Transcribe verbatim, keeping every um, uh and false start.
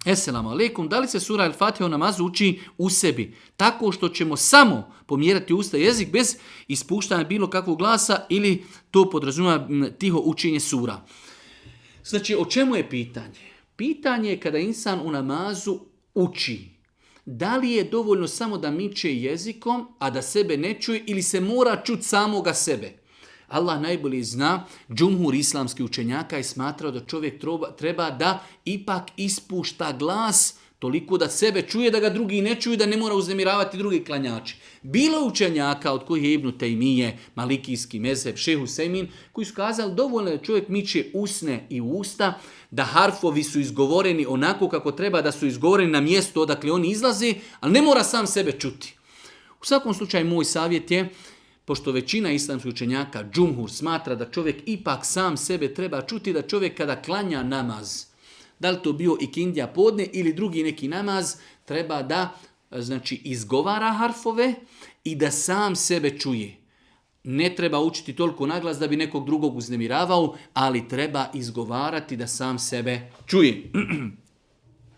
Esselamu alaikum, da li se sura Al-Fatiha u namazu uči u sebi? Tako što ćemo samo pomjerati usta i jezik bez ispuštanja bilo kakvog glasa ili to podrazumijeva tiho učenje sura. Znači, o čemu je pitanje? Pitanje je kada insan u namazu uči. Da li je dovoljno samo da miče jezikom, a da sebe ne čuje ili se mora čuti samoga sebe? Allah najbolje zna, džumhur islamskih učenjaka je smatrao da čovjek treba da ipak ispušta glas toliko da sebe čuje, da ga drugi ne čuju, da ne mora uznemiravati drugi klanjači. Bilo učenjaka od kojih je Ibn Tejmije, Malikijski mezheb, Šejh Husejmin, koji su kazali dovoljno da čovjek miče usne i usta, da harfovi su izgovoreni onako kako treba da su izgovoreni na mjestu odakle oni izlaze, ali ne mora sam sebe čuti. U svakom slučaju moj savjet je, pošto većina islamskih učenjaka, džumhur, smatra da čovjek ipak sam sebe treba čuti, da čovjek kada klanja namaz, da li to bio ikindija podne ili drugi neki namaz, treba da znači, izgovara harfove i da sam sebe čuje. Ne treba učiti toliko naglas da bi nekog drugog uznemiravao, ali treba izgovarati da sam sebe čuje.